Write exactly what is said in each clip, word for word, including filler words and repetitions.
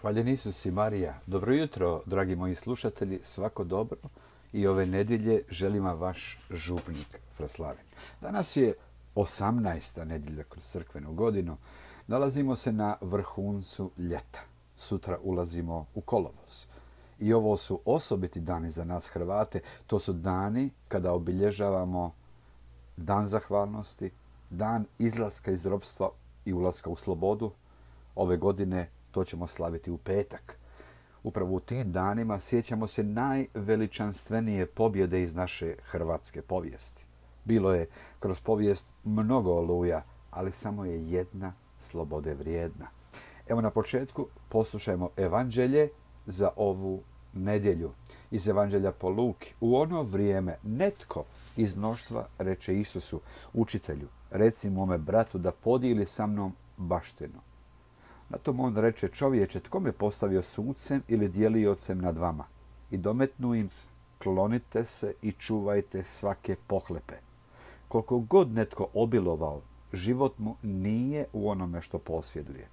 Hvaljen Isus i Marija. Dobro jutro, dragi moji slušatelji, svako dobro. I ove nedjelje želim vam vaš župnik Fraslaven. Danas je osamnaesta nedjelja kroz crkvenu godinu. Nalazimo se na vrhuncu ljeta. Sutra ulazimo u kolovoz. I ovo su osobiti dani za nas Hrvate. To su dani kada obilježavamo dan zahvalnosti, dan izlaska iz ropstva i ulaska u slobodu. Ove godine to ćemo slaviti u petak. Upravo u tim danima sjećamo se najveličanstvenije pobjede iz naše hrvatske povijesti. Bilo je kroz povijest mnogo oluja, ali samo je jedna slobode vrijedna. Evo na početku poslušajmo evanđelje za ovu nedjelju. Iz evanđelja po Luki. U ono vrijeme netko iz mnoštva reče Isusu, učitelju, reci mome bratu da podijeli sa mnom baštinu. Na tom on reče, čovječe, tko me postavio sucem ili dijeliocem nad vama? I dometnu im, klonite se i čuvajte svake pohlepe. Koliko god netko obilovao, život mu nije u onome što posjeduje.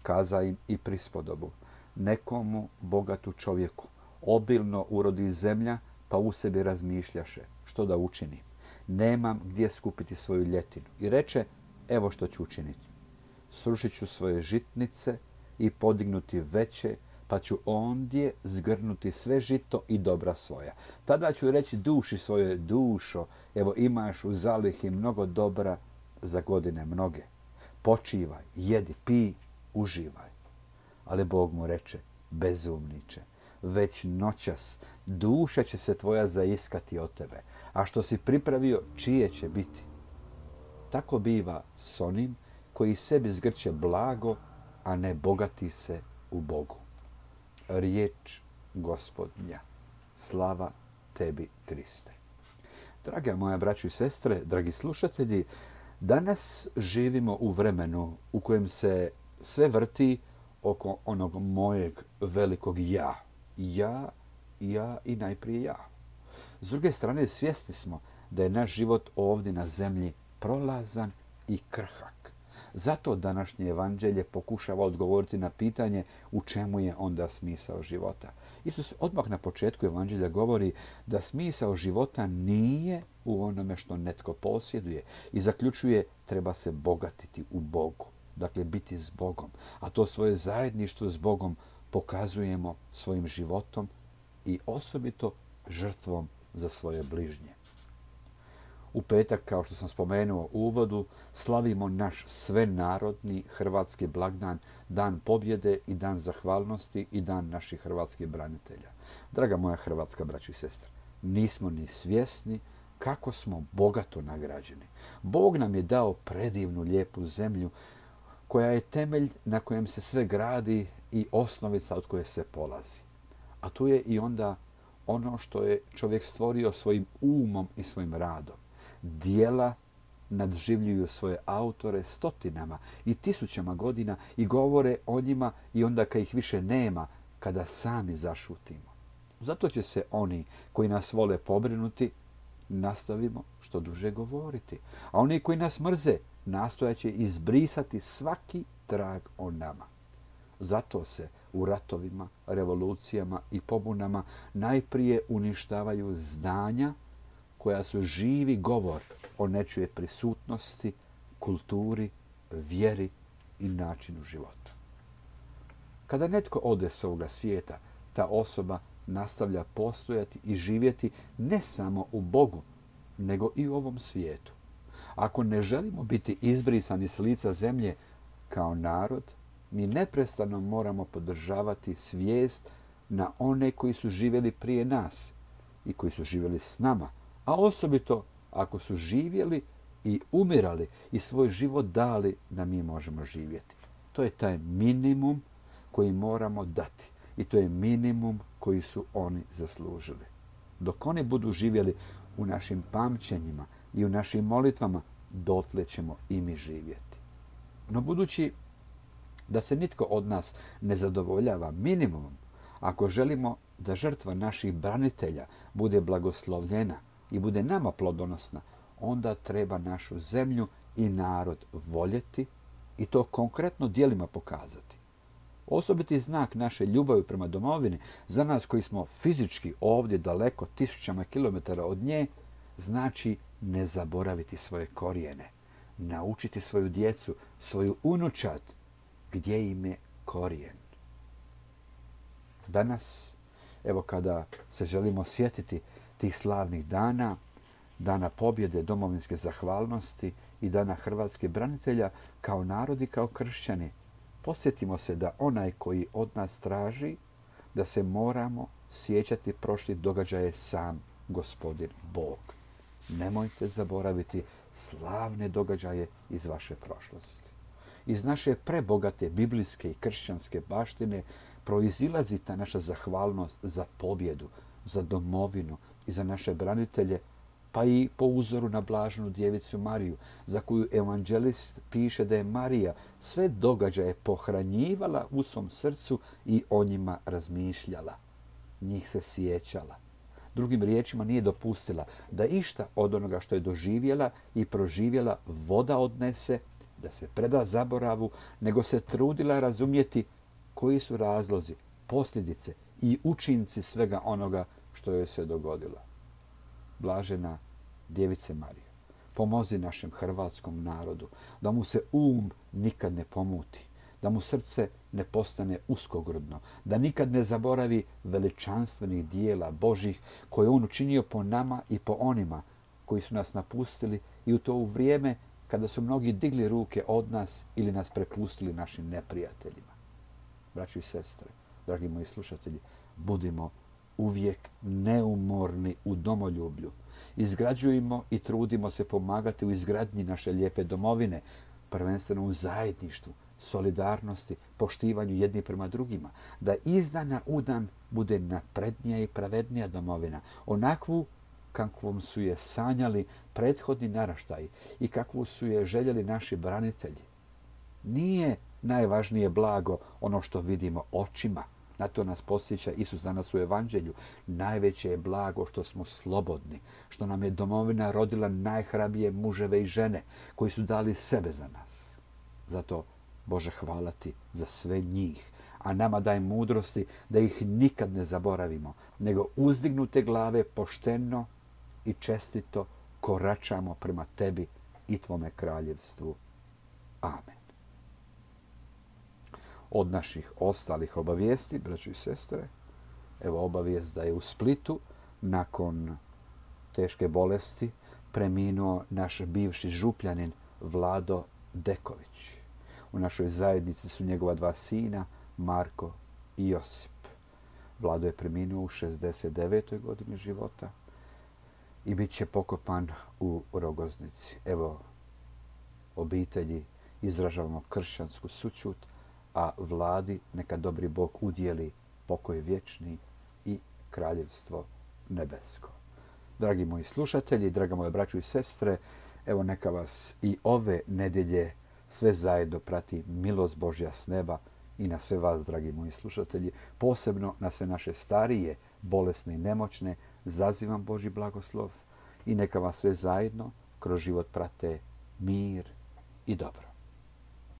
Kaza im i prispodobu. Nekomu bogatu čovjeku obilno urodi zemlja, pa u sebi razmišljaše, što da učinim. Nemam gdje skupiti svoju ljetinu. I reče, evo što ću učiniti. Srušit ću svoje žitnice i podignuti veće, pa ću ondje zgrnuti sve žito i dobra svoja. Tada ću reći duši svoje, dušo, evo imaš u zalihi mnogo dobra za godine mnoge. Počivaj, jedi, pi, uživaj. Ali Bog mu reče, bezumniče, već noćas duša će se tvoja zaiskati od tebe, a što si pripravio, čije će biti? Tako biva s onim koji sebi zgrće blago, a ne bogati se u Bogu. Riječ Gospodnja. Slava tebi, Kriste. Draga moja braćo i sestre, dragi slušatelji, danas živimo u vremenu u kojem se sve vrti oko onog mojeg velikog ja. Ja, ja i najprije ja. S druge strane, svjesni smo da je naš život ovdje na zemlji prolazan i krhak. Zato današnje evanđelje pokušava odgovoriti na pitanje u čemu je onda smisao života. Isus odmah na početku evanđelja govori da smisao života nije u onome što netko posjeduje i zaključuje treba se bogatiti u Bogu, dakle biti s Bogom. A to svoje zajedništvo s Bogom pokazujemo svojim životom i osobito žrtvom za svoje bližnje. U petak, kao što sam spomenuo u uvodu, slavimo naš svenarodni hrvatski blagdan, dan pobjede i dan zahvalnosti i dan naših hrvatskih branitelja. Draga moja hrvatska braćo i sestre, nismo ni svjesni kako smo bogato nagrađeni. Bog nam je dao predivnu lijepu zemlju koja je temelj na kojem se sve gradi i osnovica od koje se polazi. A tu je i onda ono što je čovjek stvorio svojim umom i svojim radom. Dijela nadživljuju svoje autore stotinama i tisućama godina i govore o njima i onda kad ih više nema, kada sami zašutimo. Zato će se oni koji nas vole pobrinuti, nastavimo što duže govoriti. A oni koji nas mrze, nastojaće izbrisati svaki trag o nama. Zato se u ratovima, revolucijama i pobunama najprije uništavaju zdanja koja su živi govor o nečije prisutnosti, kulturi, vjeri i načinu života. Kada netko ode s ovoga svijeta, ta osoba nastavlja postojati i živjeti ne samo u Bogu, nego i u ovom svijetu. Ako ne želimo biti izbrisani s lica zemlje kao narod, mi neprestano moramo podržavati svijest na one koji su živjeli prije nas i koji su živjeli s nama, a osobito ako su živjeli i umirali i svoj život dali da mi možemo živjeti. To je taj minimum koji moramo dati i to je minimum koji su oni zaslužili. Dok oni budu živjeli u našim pamćenjima i u našim molitvama, dotle ćemo i mi živjeti. No budući da se nitko od nas ne zadovoljava minimumom, ako želimo da žrtva naših branitelja bude blagoslovljena i bude nama plodonosna, onda treba našu zemlju i narod voljeti i to konkretno djelima pokazati. Osobiti znak naše ljubavi prema domovini, za nas koji smo fizički ovdje daleko tisućama kilometara od nje, znači ne zaboraviti svoje korijene, naučiti svoju djecu, svoju unučad, gdje im je korijen. Danas, evo kada se želimo sjetiti tih slavnih dana, dana pobjede, domovinske zahvalnosti i dana hrvatskih branitelja, kao narod i kao kršćani, podsjetimo se da onaj koji od nas traži da se moramo sjećati prošlih događaja sam Gospodin Bog. Nemojte zaboraviti slavne događaje iz vaše prošlosti. Iz naše prebogate biblijske i kršćanske baštine proizilazi ta naša zahvalnost za pobjedu, za domovinu i za naše branitelje, pa i po uzoru na blaženu djevicu Mariju, za koju evanđelist piše da je Marija sve događaje pohranjivala u svom srcu i o njima razmišljala. Njih se sjećala. Drugim riječima, nije dopustila da išta od onoga što je doživjela i proživjela voda odnese, da se preda zaboravu, nego se trudila razumjeti koji su razlozi, posljedice i učinci svega onoga što joj se dogodilo. Blažena djevice Marije, pomozi našem hrvatskom narodu da mu se um nikad ne pomuti, da mu srce ne postane uskogrudno, da nikad ne zaboravi veličanstvenih dijela Božih koje je on učinio po nama i po onima koji su nas napustili i u to u vrijeme kada su mnogi digli ruke od nas ili nas prepustili našim neprijateljima. Braćo i sestre, dragi moji slušatelji, budimo uvijek neumorni u domoljublju. Izgrađujemo i trudimo se pomagati u izgradnji naše lijepe domovine, prvenstveno u zajedništvu, solidarnosti, poštivanju jedni prema drugima, da iz dana u dan bude naprednija i pravednija domovina, onakvu kakvom su je sanjali prethodni naraštaji i kakvu su je željeli naši branitelji. Nije najvažnije blago ono što vidimo očima. Na to nas podsjeća Isus danas u Evanđelju. Najveće je blago što smo slobodni, što nam je domovina rodila najhrabrije muževe i žene koji su dali sebe za nas. Zato, Bože, hvala ti za sve njih, a nama daj mudrosti da ih nikad ne zaboravimo, nego uzdignute glave pošteno i čestito koračamo prema tebi i tvome kraljevstvu. Amen. Od naših ostalih obavijesti, braćo i sestre, evo obavijest da je u Splitu nakon teške bolesti preminuo naš bivši župljanin Vlado Deković. U našoj zajednici su njegova dva sina, Marko i Josip. Vlado je preminuo u šezdeset devetoj godini života i bit će pokopan u Rogoznici. Evo, obitelji izražavamo kršćansku sućut, a Vladi neka dobri Bog udjeli pokoj vječni i kraljevstvo nebesko. Dragi moji slušatelji, draga moje braćo i sestre, evo neka vas i ove nedjelje sve zajedno prati milost Božja s neba i na sve vas, dragi moji slušatelji, posebno na sve naše starije, bolesne i nemoćne, zazivam Božji blagoslov i neka vas sve zajedno kroz život prate mir i dobro.